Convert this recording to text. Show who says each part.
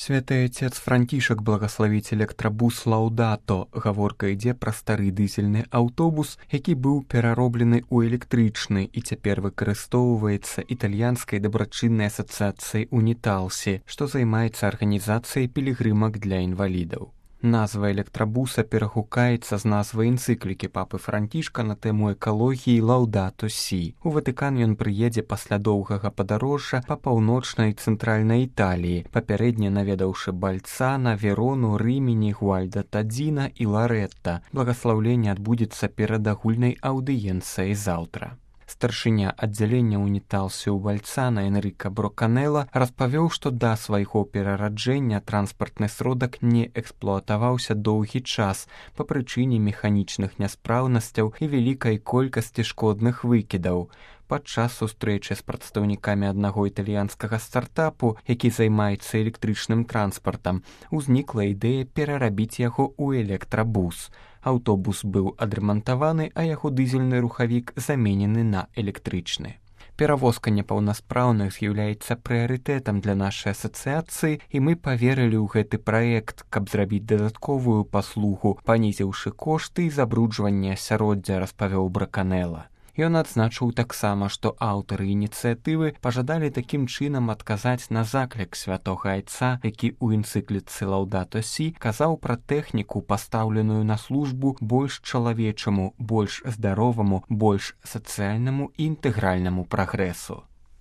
Speaker 1: Святы Отец Францішак благаславіць электрабус «Лаўдато». Гаворка ідзе пра стары дызельны аўтобус, які быў перароблены ў электрычны і цяпер выкарыстоўваецца італьянскай дабрачыннай асацыяцыяй «Уніталсі», што займаецца арганізацыяй пілігрымак для інвалідаў. Назва электрабуса перагукаецца з назвай энцыклікі папы Францішка на тэму экалогіі «Лаўдато Сі». У Ватыкан ён прыедзе пасля доўгага падарожжа па паўночнай і цэнтральнай Італіі, папярэдне наведаўшы Бальцана, Верону, Рымені, Гуальдатадзіна і Ларэтта. Благаслаўленне адбудзецца перад агульнай аўдыенцыяй заўтра. Старшыня аддзялення «Уніталсі» ў Бальцана Энрыка Броканела распавёў, што да свайго перараджэння транспартны сродак не эксплуатаваўся доўгі час па прычыне механічных няспраўнасцяў і вялікай колькасці шкодных выкідаў. Падчас сустрэчы з прадстаўнікамі аднаго італьянскага стартапу, які займаецца электрычным транспартам, узнікла ідэя перарабіць яго ў электрабус. Аўтобус быў адрамантаваны, а яго дызельны рухавік заменены на электрычны. Перавозка непаўнаспраўных з'яўляецца прыярытэтам для нашай асацыяцыі, і мы паверылі ў гэты праект, каб зрабіць дадатковую паслугу, панізіўшы кошты і забруджванне асяроддзя, распавёў Браканела. Ён адзначыў таксама, што аўтары ініцыятывы пажадалі такім чынам адказаць на заклік святога Айца, які ў энцыкліцы «Лаўдато Сі» казаў пра тэхніку, пастаўленую на службу больш чалавечаму, больш здароваму, больш сацыяльнаму і інтэгральнаму прагрэсу.